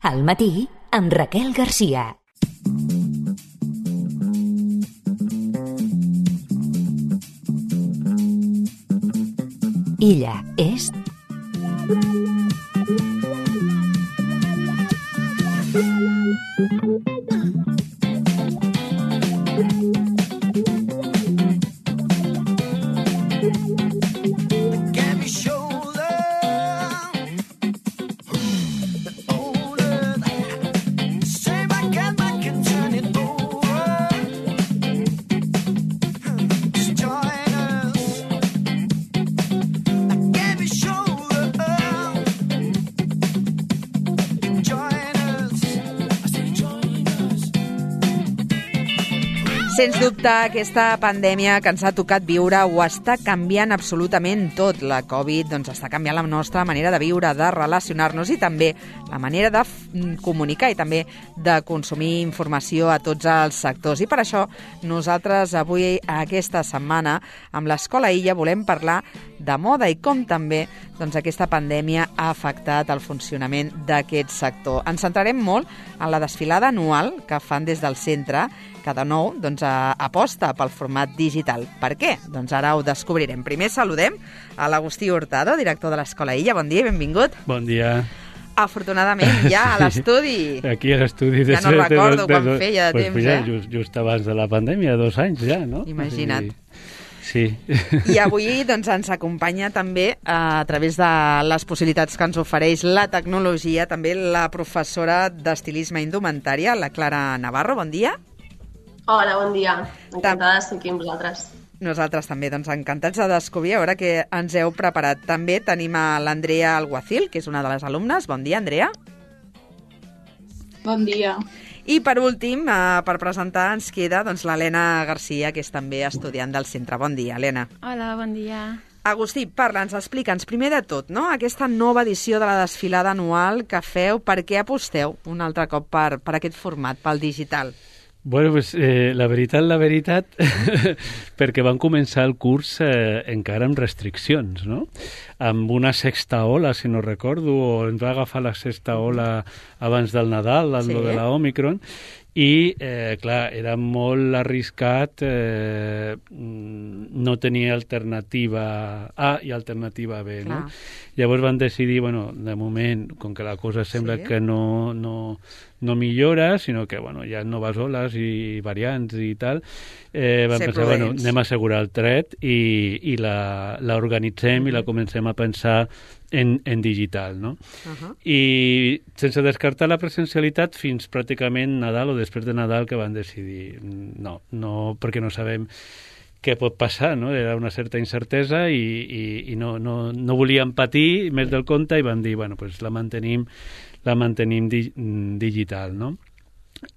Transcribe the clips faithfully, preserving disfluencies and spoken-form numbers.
Al matí, amb Raquel Garcia. Ella és... Sens dubte, aquesta pandèmia que ens ha tocat viure ho està canviant absolutament tot. La Covid doncs, està canviant la nostra manera de viure, de relacionar-nos i també la manera de comunicar i també de consumir informació a tots els sectors. I per això nosaltres avui, aquesta setmana, amb l'Escola Illa, volem parlar de moda i com també doncs, aquesta pandèmia ha afectat el funcionament d'aquest sector. Ens centrarem molt en la desfilada anual que fan des del centre, que de nou doncs, aposta pel format digital. Per què? Doncs ara ho descobrirem. Primer saludem a l'Agustí Hurtado, director de l'Escola Illa. Bon dia i benvingut. Bon dia. Afortunadament, ja a l'estudi. Aquí a l'estudi. Ja no recordo quan feia de temps, eh? Just, just abans de la pandèmia, dos anys ja, no? Imagina't. Sí. I avui doncs, ens acompanya també, a través de les possibilitats que ens ofereix la tecnologia, també la professora d'estilisme indumentària, la Clara Navarro. Bon dia. Hola, bon dia. Encantada d'estar aquí amb vosaltres. Nosaltres també, doncs encantats de descobrir a veure què ens heu preparat. També tenim a l'Andrea Alguacil, que és una de les alumnes. Bon dia, Andrea. Bon dia. I per últim, eh, per presentar, ens queda doncs, l'Helena Garcia, que és també estudiant del centre. Bon dia, Helena. Hola, bon dia. Agustí, parla'ns, explica'ns, primer de tot, no? Aquesta nova edició de la desfilada anual que feu, per què aposteu un altre cop per, per aquest format, pel digital? Bueno, pues, eh, la veritat, la veritat, perquè van començar el curs eh, encara amb restriccions, no? Amb una sexta ola, si no recordo, o ens va agafar la sexta ola abans del Nadal, amb sí. lo de la Omicron, i, eh, clar, era molt arriscat eh, no tenir alternativa A i alternativa B, clar. No? Llavors van decidir, bueno, de moment, com que la cosa sembla sí. que no, no, no millora, sinó que, bueno, hi ha noves oles i variants i tal, eh, vam Ser pensar, prudents. bueno, anem a assegurar el tret i, i la, la organitzem mm-hmm. i la comencem a pensar en, en digital, no? Uh-huh. I sense descartar la presencialitat fins pràcticament Nadal o després de Nadal, que van decidir no, no, perquè no sabem què pot passar, no? Era una certa incertesa i, i, i no, no, no volíem patir més del compte i van dir, bueno, pues la mantenim, la mantenim di, digital, no?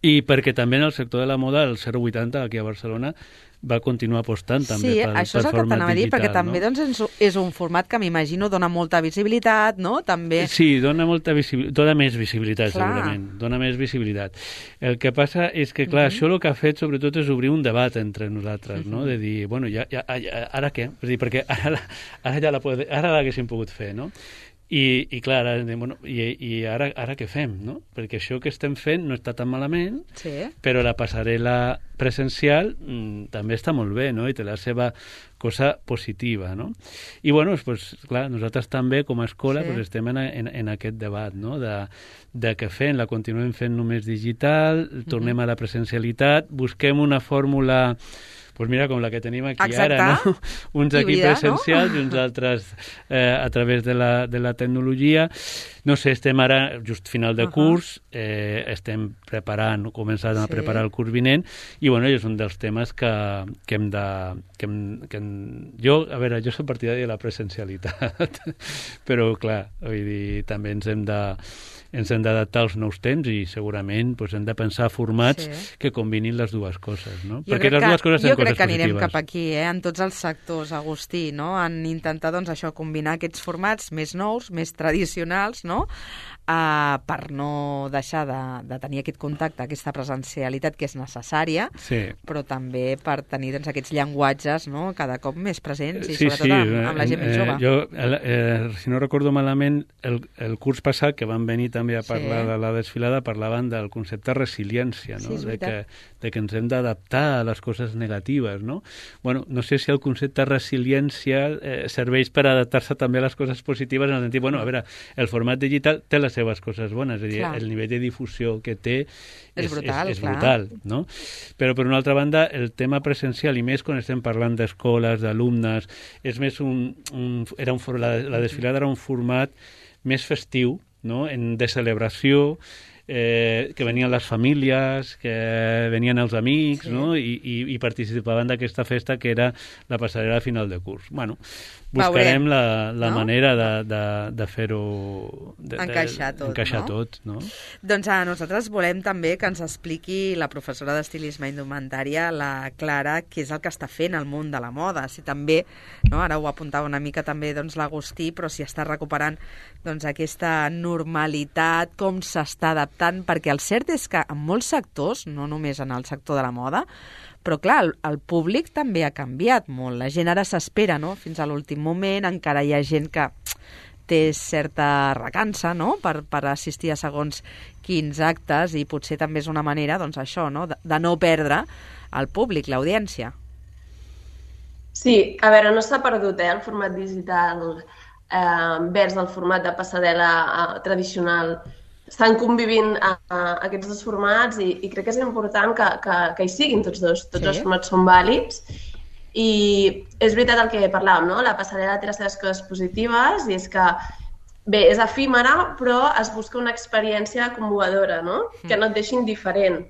I perquè també en el sector de la moda, el zero vuitanta aquí a Barcelona, va continuar apostant també sí, pel, això és pel el que format t'anava a dir, digital, perquè també no? doncs, és un format que m'imagino dona molta visibilitat, no? També... Sí, dona molta visibilitat, dona més visibilitat, clar. Segurament, dona més visibilitat. El que passa és que, clar, uh-huh. això el que ha fet sobretot és obrir un debat entre nosaltres, uh-huh. no? De dir, bueno, ja, ja, ja, ara què? És dir, perquè ara, ara ja la pode, ara l'haguéssim pogut fer, no? I, i clar, ara, bueno, i, i ara, ara què fem, no? Perquè això que estem fent no està tan malament, sí. però la passarel·la presencial mm, també està molt bé, no? I té la seva cosa positiva, no? I, bueno, pues, clar, nosaltres també, com a escola, sí. pues, estem en, en, en aquest debat, no? De, de què fem, la continuem fent només digital, tornem mm-hmm. a la presencialitat, busquem una fórmula... Pues mira, com la que tenim aquí Exacte. Ara, no? Uns aquí Híbrida, presencials no? i uns altres eh, a través de la, de la tecnologia. No sé, estem ara just final de uh-huh. curs, eh, estem preparant, començant sí. a preparar el curs vinent, i bueno, és un dels temes que, que hem de... Que hem, que hem, jo, a veure, jo soc partidari de la presencialitat, però clar, vull dir, també ens hem de... ens hem d'adaptar als nous temps i segurament doncs, hem de pensar formats sí. que combinin les dues coses, no? Jo Perquè les que, dues coses tenen jo crec coses que anirem positives. cap aquí, eh? En tots els sectors, Agustí, no? En intentar doncs, això combinar aquests formats més nous, més tradicionals, no? Uh, per no deixar de, de tenir aquest contacte, aquesta presencialitat que és necessària, sí. però també per tenir doncs, aquests llenguatges, no?, cada cop més presents i sí, sobretot sí. amb, amb la gent eh, més jove. Jo, eh, si no recordo malament, el, el curs passat que van venir també a parlar sí. de la desfilada parlaven del concepte resiliència, no? Sí, de, que, de que ens hem d'adaptar a les coses negatives, no? Bueno, no sé si el concepte resiliència eh, serveix per adaptar-se també a les coses positives en el sentit, bueno, a veure, el format digital té les seves coses bones, és a dir, clar. El nivell de difusió que té és, és brutal, és, és brutal, no? Però per una altra banda, el tema presencial, i més quan estem parlant d'escoles, d'alumnes, és més un, un, era un, la, la desfilada era un format més festiu, no?, en, de celebració, eh, que venien les famílies, que venien els amics, sí. no?, I, i, i participaven d'aquesta festa que era la passarel·la final de curs. Bueno, buscarem Veurem, la, la no? manera de, de, de fer-ho... De, encaixar tot, encaixar no? tot, no? Doncs a nosaltres volem també que ens expliqui la professora d'estilisme indumentària, la Clara, què és el que està fent al món de la moda. Si també, no, ara ho apuntava una mica també doncs, l'Agustí, però si està recuperant doncs, aquesta normalitat, com s'està adaptant, perquè el cert és que en molts sectors, no només en el sector de la moda, però clar, el, el públic també ha canviat molt. La gent ara s'espera, no?, fins a l'últim moment, encara hi ha gent que té certa recança, no?, per, per assistir a segons quins actes, i potser també és una manera, doncs això, no?, de, de no perdre el públic, l'audiència. Sí, a veure, no s'ha perdut, eh, el format digital eh, vers el format de passarel·la eh, tradicional. Estan convivint a, a aquests dos formats i, i crec que és important que, que, que hi siguin tots dos. Tots sí. Els formats són vàlids i és veritat el que parlàvem, no? La passarel·la té les seves coses positives i és que, bé, és efímera, però es busca una experiència commovedora, no? Que no et deixi indiferent.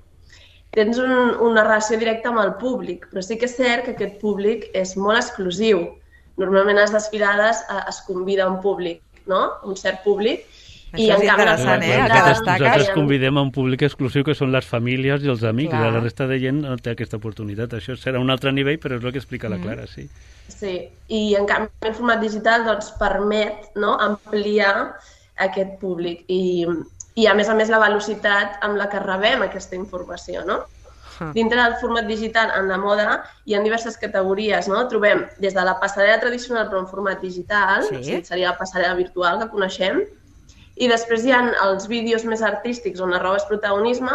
Tens un, una relació directa amb el públic, però sí que és cert que aquest públic és molt exclusiu. Normalment a les desfilades es convida un públic, no? Un cert públic. Això I és interessant, eh? Que destaca. Nosaltres convidem a un públic exclusiu que són les famílies i els amics. Clar. La resta de gent no té aquesta oportunitat. Això serà un altre nivell, però és el que explica la Clara, sí. Sí, i en canvi el format digital doncs, permet, no?, ampliar aquest públic i, i a més a més la velocitat amb la que rebem aquesta informació, no? Uh. Dintre del format digital, en la moda, hi ha diverses categories, no? Trobem des de la passarel·la tradicional però en format digital, sí. O sigui, seria la passarel·la virtual que coneixem, i després hi ha els vídeos més artístics on la roba és protagonisme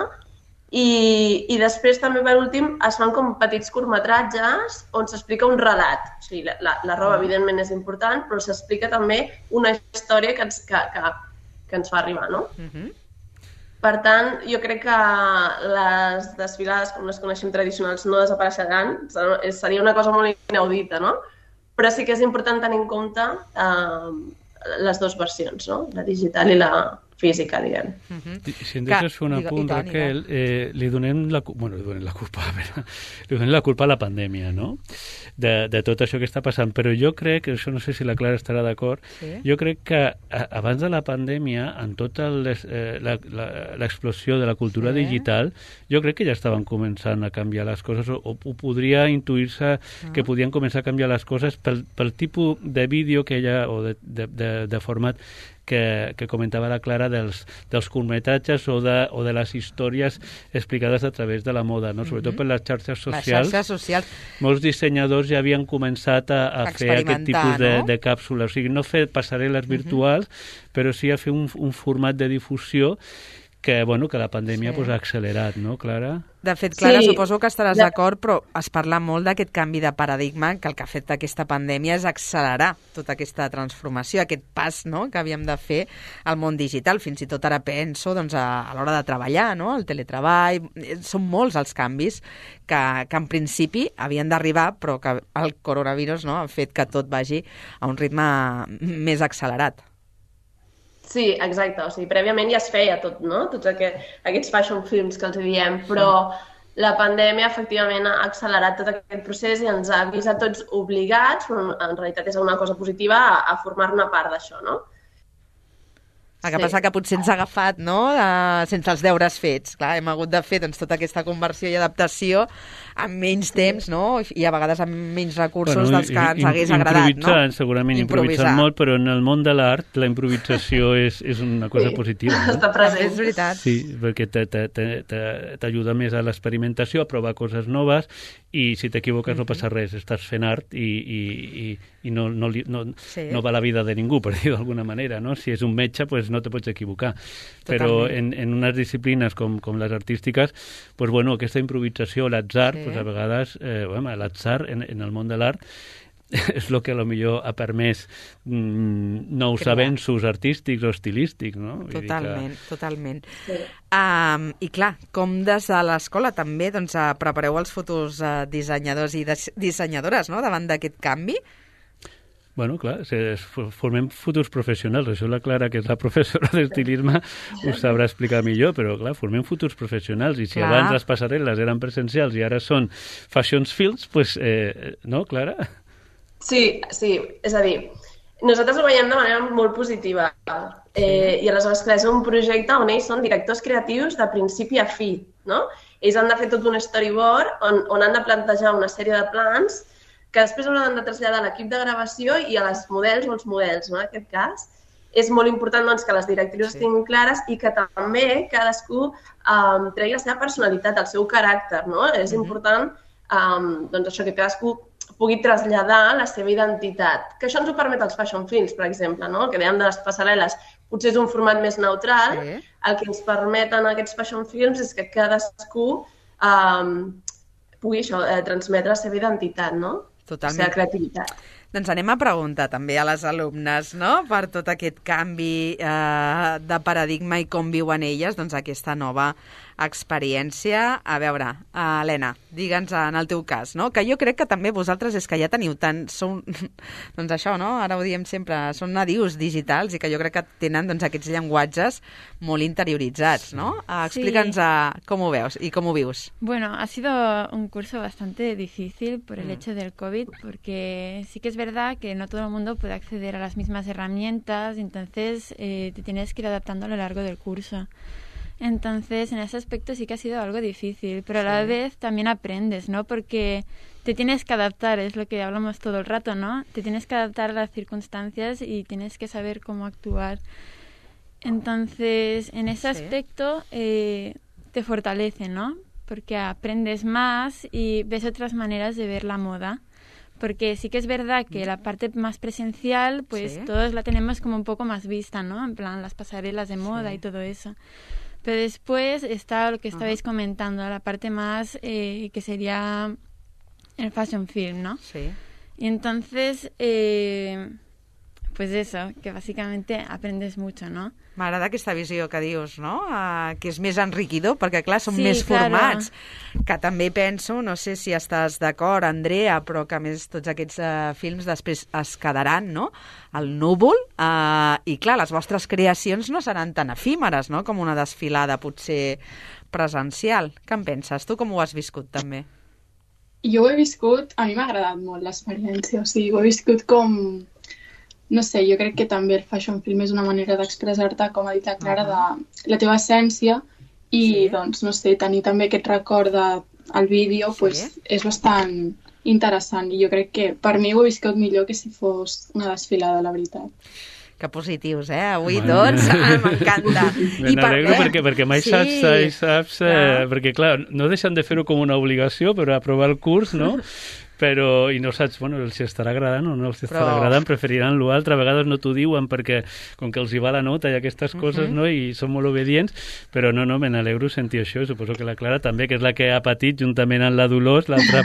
i, i després també per últim es fan com petits curtmetratges on s'explica un relat. O sigui, la, la, la roba evidentment és important, però s'explica també una història que ens, que, que, que ens fa arribar, no? Uh-huh. Per tant, jo crec que les desfilades com les coneixem tradicionals no desapareixeran, seria una cosa molt inaudita, no? Però sí que és important tenir en compte eh, les dues versions, no? La digital i la física, diguem. Uh-huh. Si em deixes fer un apunt, Raquel, eh, li donem la, bueno, li donem la culpa, a veure, li donem la culpa a la pandèmia, no? De, de tot això que està passant, però jo crec, això no sé si la Clara estarà d'acord, sí? Jo crec que a, abans de la pandèmia, en tota eh, l'explosió de la cultura sí? digital, jo crec que ja estaven començant a canviar les coses, o, o podria intuir-se ah. que podien començar a canviar les coses pel, pel tipus de vídeo que hi ha, o de, de, de, de format que, que comentava la Clara dels, dels curtmetratges o de, o de les històries explicades a través de la moda, no? Sobretot per les xarxes socials. Les xarxes socials. Molts dissenyadors ja havien començat a, a fer aquest tipus de, no? de càpsules. O sigui, no fer passarel·les virtuals, uh-huh. però sí a fer un, un format de difusió que, bueno, que la pandèmia sí. pues, ha accelerat, no, Clara? De fet, Clara, sí. suposo que estaràs de... d'acord, però es parla molt d'aquest canvi de paradigma, que el que ha fet aquesta pandèmia és accelerar tota aquesta transformació, aquest pas, no?, que havíem de fer al món digital. Fins i tot ara penso doncs, a, a l'hora de treballar, no?, el teletreball. Són molts els canvis que, que en principi havien d'arribar, però que el coronavirus, no?, ha fet que tot vagi a un ritme més accelerat. Sí, exacte. O sigui, prèviament ja es feia tot, no? Tots aquest, aquests fashion films que els diem, però la pandèmia efectivament ha accelerat tot aquest procés i ens ha vist a tots obligats, però en realitat és una cosa positiva, a, a formar-ne part d'això, no? El que sí. passa que potser ens ha agafat, no?, uh, sense els deures fets. Clar, hem hagut de fer doncs, tota aquesta conversió i adaptació amb menys temps, no?, i a vegades amb menys recursos bueno, dels que ens hagués agradat, no? Improvisant, segurament improvisant molt, però en el món de l'art la improvisació és, és una cosa sí. positiva. No? Està present. És veritat. Sí, perquè t'ajuda més a l'experimentació, a provar coses noves, i si t'equivoques mm-hmm. no passa res, estàs fent art i, i, i, i no, no, no, sí. no va la vida de ningú, per dir-ho d'alguna manera, no? Si és un metge, pues no te pots equivocar. Totalment. Però en, en unes disciplines com, com les artístiques, pues bueno, aquesta improvisació, l'atzar, sí. pues a vegades, eh, bueno, l'atzar en, en el món de l'art és el que a lo millor ha permès mm, nous Crear. avenços artístics o estilístics, no? Vull totalment, que... totalment. Sí. Um, I clar, com des de l'escola també doncs, uh, prepareu els futurs uh, dissenyadors i dissenyadores, no?, davant d'aquest canvi? Bueno, clar, formem futurs professionals. Això la Clara, que és la professora d'estilisme, us sabrà explicar millor, però clar, formem futurs professionals. I si clar. abans les passarel·les eren presencials i ara són fashion fields, pues, eh, no, Clara? Sí, sí, és a dir, nosaltres ho veiem de manera molt positiva. Eh, I aleshores, clar, és un projecte on ells són directors creatius de principi a fi, no? Ells han de fer tot un storyboard on, on han de plantejar una sèrie de plans que després hauran de traslladar a l'equip de gravació i a les models o els models, no?, en aquest cas. És molt important doncs, que les directrius sí. estiguin clares i que també cadascú um, tregui la seva personalitat, el seu caràcter, no? És mm-hmm. important um, doncs això, que cadascú pugui traslladar la seva identitat. Que això ens ho permet els fashion films, per exemple, no? Que dèiem de les passarel·les, potser és un format més neutral, sí. el que ens permeten aquests fashion films és que cadascú um, pugui això, eh, transmetre la seva identitat, no? Totalment. La seva creativitat. Doncs anem a preguntar també a les alumnes, no?, per tot aquest canvi eh, de paradigma i com viuen elles doncs, aquesta nova experiència. A veure, uh, Helena, digue'ns en el teu cas, no?, que jo crec que també vosaltres és que ja teniu tant... Sou, doncs això, no?, ara ho diem sempre, són nadius digitals i que jo crec que tenen doncs, aquests llenguatges molt interioritzats, no? Uh, Explica'ns uh, com ho veus i com ho vius. Bueno, ha sido un curso bastante difícil por el mm. hecho del COVID, porque sí que es verdad que no todo el mundo puede acceder a las mismas herramientas, entonces eh, te tienes que ir adaptando a lo largo del curso. Entonces, en ese aspecto sí que ha sido algo difícil, pero a la sí. vez también aprendes, ¿no? Porque te tienes que adaptar, es lo que hablamos todo el rato, ¿no? Te tienes que adaptar a las circunstancias y tienes que saber cómo actuar. Entonces, en ese sí. aspecto eh, te fortalece, ¿no? Porque aprendes más y ves otras maneras de ver la moda. Porque sí que es verdad que la parte más presencial, pues sí. todos la tenemos como un poco más vista, ¿no? En plan, las pasarelas de moda sí. y todo eso. Pero después está lo que estabais uh-huh. comentando, la parte más eh, que sería el fashion film, ¿no? Sí. Y entonces, eh, pues eso, que básicamente aprendes mucho, ¿no? M'agrada aquesta visió que dius, no? Uh, que és més enriquidor, perquè clar, són sí, més claro. formats. Que també penso, no sé si estàs d'acord, Andrea, però que a més tots aquests uh, films després es quedaran, no?, al núvol, uh, i clar, les vostres creacions no seran tan efímeres, no?, com una desfilada potser presencial. Què en penses? Tu com ho has viscut, també? Jo ho he viscut, a mi m'ha agradat molt l'experiència, o sigui, ho he viscut com... No sé, jo crec que també el fashion film és una manera d'expressar-te, com ha dit la Clara, de la teva essència i, sí. doncs, no sé, tenir també aquest record del vídeo sí. pues, és bastant interessant i jo crec que per mi ho he viscut millor que si fos una desfilada, la veritat. Que positius, eh? Avui bueno. tots, ah, m'encanta. Me n'alegro perquè, perquè mai sí. saps, mai saps eh, perquè clar, no deixen de fer-ho com una obligació, però aprovar el curs, no? Però, i no saps, bueno, els estarà agradant o no els estarà però... agradant, preferiran l'altre, a vegades no t'ho diuen perquè com que els hi va la nota i aquestes coses, uh-huh. no?, i són molt obedients, però no, no, me n'alegro sentir això, suposo que la Clara també, que és la que ha patit juntament amb la Dolors, l'altra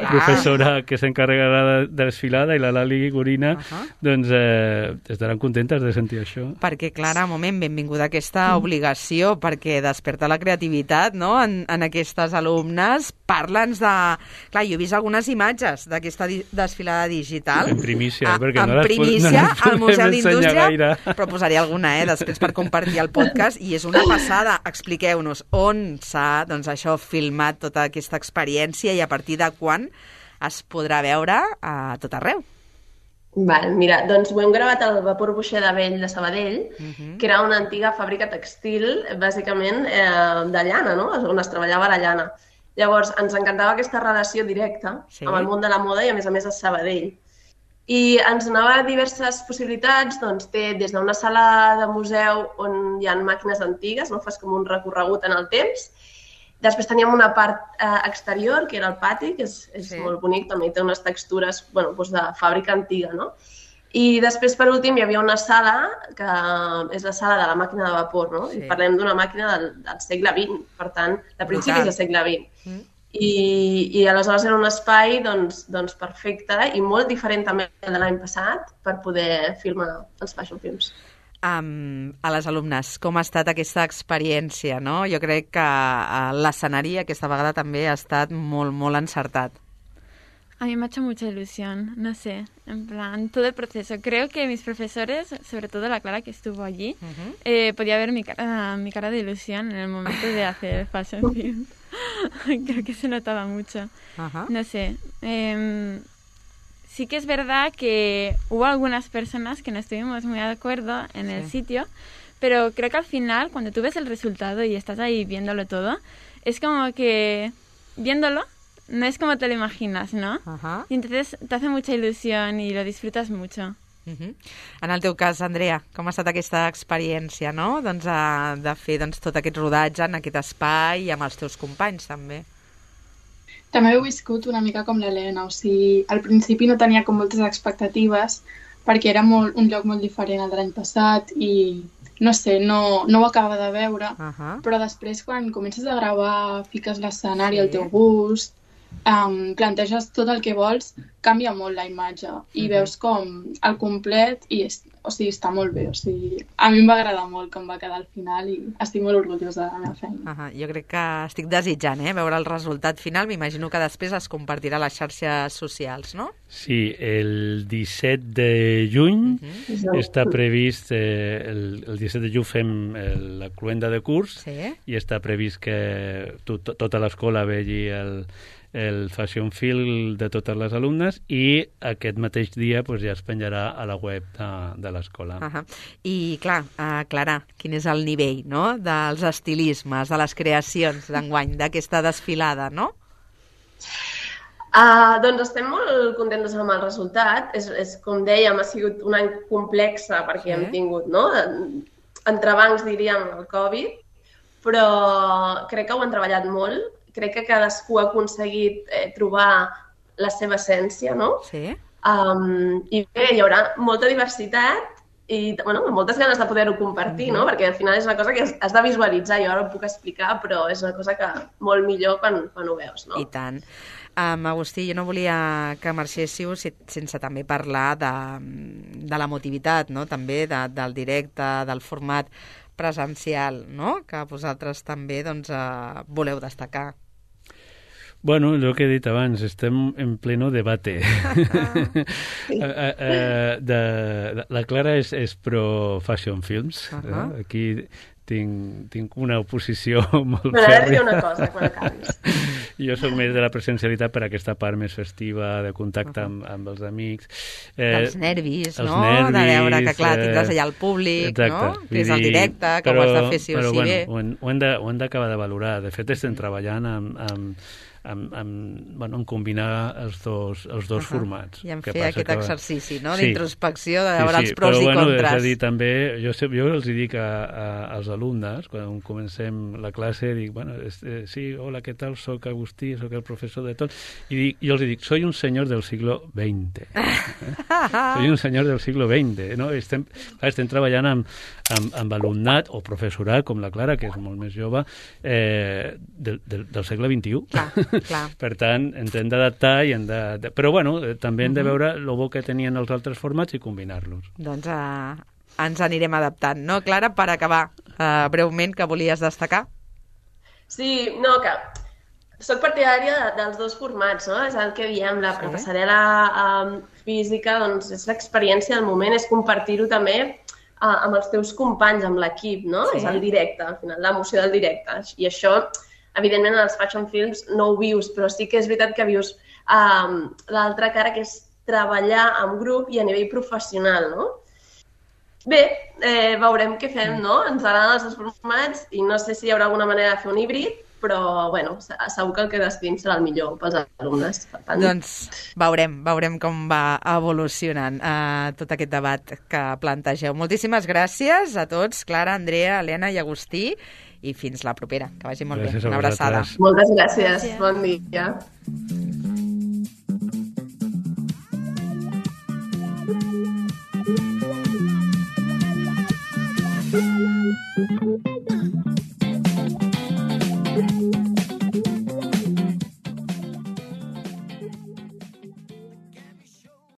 professora que s'encarregarà de, de desfilada, i la Lali Gorina, uh-huh. doncs eh, estaran contentes de sentir això. Perquè, Clara, un moment, benvinguda a aquesta mm. obligació, perquè desperta la creativitat, no?, en, en aquestes alumnes. Parla'ns de... Clar, jo he vist algunes imatges d'aquesta di- desfilada digital. En primícia, a, perquè en no les, primícia, no les al Museu d'Indústria, gaire. Però posaré alguna, eh, després per compartir el podcast, i és una passada. Expliqueu-nos on s'ha, doncs això, filmat tota aquesta experiència i a partir de quan es podrà veure a tot arreu. Val, mira, doncs ho hem gravat al Vapor Boixer de Vell de Sabadell, Mhm. que era una antiga fàbrica textil, bàsicament eh, de llana, no? On es treballava la llana. Llavors, ens encantava aquesta relació directa Sí. amb el món de la moda i, a més a més, a Sabadell. I ens donava diverses possibilitats, doncs té des d'una sala de museu on hi ha màquines antigues, no? Fas com un recorregut en el temps. Després teníem una part eh, exterior, que era el pati, que és, és Sí. molt bonic, també té unes textures bueno, doncs de fàbrica antiga, no? I després, per últim, hi havia una sala, que és la sala de la màquina de vapor, no? Sí. I parlem d'una màquina del, del segle vint, per tant, de principis Brutal. del segle vint. Mm. I, I aleshores era un espai doncs, doncs perfecte i molt diferent també de l'any passat per poder filmar els fashion films. Um, a les alumnes, com ha estat aquesta experiència, no? Jo crec que uh, l'escenari aquesta vegada també ha estat molt, molt encertat. A mí me ha hecho mucha ilusión, no sé, en plan, todo el proceso. Creo que mis profesores, sobre todo la Clara que estuvo allí, Uh-huh. eh, podía ver mi cara, mi cara de ilusión en el momento de hacer el fashion film. Creo que se notaba mucho. Uh-huh. No sé. eh, sí que es verdad que hubo algunas personas que no estuvimos muy de acuerdo en el Sí. sitio, pero creo que al final, cuando tú ves el resultado y estás ahí viéndolo todo, es como que viéndolo, no es como te lo imaginas, ¿no? Uh-huh. Y entonces te hace mucha ilusión y lo disfrutas mucho. Uh-huh. En el teu cas, Andrea, com ha estat aquesta experiència, no? Doncs, uh, de fer doncs, tot aquest rodatge en aquest espai i amb els teus companys, també. També he viscut una mica com l'Helena, o sigui, al principi no tenia com moltes expectatives perquè era molt, un lloc molt diferent al de l'any passat i, no sé, no, no ho acaba de veure, Uh-huh. però després quan comences a gravar, fiques l'escenari Sí. al teu gust, um, planteges tot el que vols, canvia molt la imatge i Mhm. veus com al complet i és, o sigui, està molt bé, o sigui, a mi em va agradar molt com va quedar al final i estic molt orgullosa de la meva feina. Uh-huh. Jo crec que estic desitjant eh, veure el resultat final. M'imagino que després es compartirà a les xarxes socials, no? Sí, el disset de juny Uh-huh. està previst, eh, el, el disset de juny fem el, la cloenda de curs Sí. i està previst que to, to, tota l'escola vegi el, el fashion film de totes les alumnes i aquest mateix dia pues, ja es penjarà a la web de, de l'escola. Uh-huh. I, clar, uh, Clara, quin és el nivell, no?, dels estilismes, de les creacions d'enguany, d'aquesta desfilada, no? Uh, doncs estem molt contentes amb el resultat. És, és com dèiem, ha sigut un any complexa perquè Sí. hem tingut, no?, entrebancs, diríem, el Covid, però crec que ho han treballat molt. Crec que cadascú ha aconseguit eh, trobar la seva essència, no? Sí. Um, I bé, hi haurà molta diversitat i bueno, amb moltes ganes de poder-ho compartir, no? Perquè al final és una cosa que has, has de visualitzar. Jo ara ho puc explicar, però és una cosa que molt millor quan, quan ho veus, no? I tant. Um, Agustí, jo no volia que marxéssiu si, sense també parlar de, de l'emotivitat, no?, també de, del directe, del format presencial, no?, que vosaltres també doncs, uh, voleu destacar. Bueno, el que he dit abans, estem en pleno debate. uh, uh, uh, de, de, la Clara és, és pro fashion films. Uh -huh. eh? Aquí tinc, tinc una oposició molt Però ara diré fèrria. una cosa, quan acabis. Jo sóc més de la presencialitat per aquesta part més festiva, de contacte amb, amb els amics. Eh, dels nervis, els no? nervis, de veure que, clar, tindràs eh, allà el públic, exacte, no? vull Que és el dir, directe, que però, ho has de fer sí o però, sí bueno, bé. Ho hem, ho hem de- ho hem d'acabar de valorar. De fet, estem treballant amb, amb, amb, amb, bueno, en combinar els dos, els dos Uh-huh. formats. I en Que fer passa aquest que- exercici, no?, Sí. d'introspecció, de veure sí, sí, els pros però, i bueno, contres. És a dir, també, jo, sé- jo els dic a, a, als alumnes, quan comencem la classe, dic, bueno, es, eh, sí, hola, què tal, soc Agustí, soc el professor de tot, i dic, jo els dic, soy un senyor del siglo veinte. Eh? Soy un senyor del siglo veinte, no? Estem, clar, estem treballant amb, amb, amb alumnat o professorat, com la Clara, que és molt més jove, eh, del, del, del segle vint-i-u. Clar, clar. Per tant, ens hem d'adaptar i hem de, de... Però, bueno, eh, també hem de Mhm. veure el bo que tenien els altres formats i combinar-los. Doncs uh, ens anirem adaptant, no, Clara? Per acabar, uh, breument, que volies destacar? Sí, no, que soc partidària de, dels dos formats, no? És el que diem, la Sí. passarel·la um, física, doncs és l'experiència del moment, és compartir-ho també uh, amb els teus companys, amb l'equip, no? Sí. És el directe, al final, l'emoció del directe. I això, evidentment, en els fashion films no ho vius, però sí que és veritat que vius um, l'altra cara, que és treballar en grup i a nivell professional, no? Bé, eh, veurem què fem, no? Ens agraden els dos formats i no sé si hi haurà alguna manera de fer un híbrid, però, bueno, segur que el que decidim serà el millor pels alumnes. Per tant... Doncs veurem, veurem com va evolucionant uh, tot aquest debat que plantegeu. Moltíssimes gràcies a tots, Clara, Andrea, Helena i Agustí, i fins la propera. Que vagi molt gràcies bé. Una abraçada. Moltes gràcies. gràcies. Bon dia.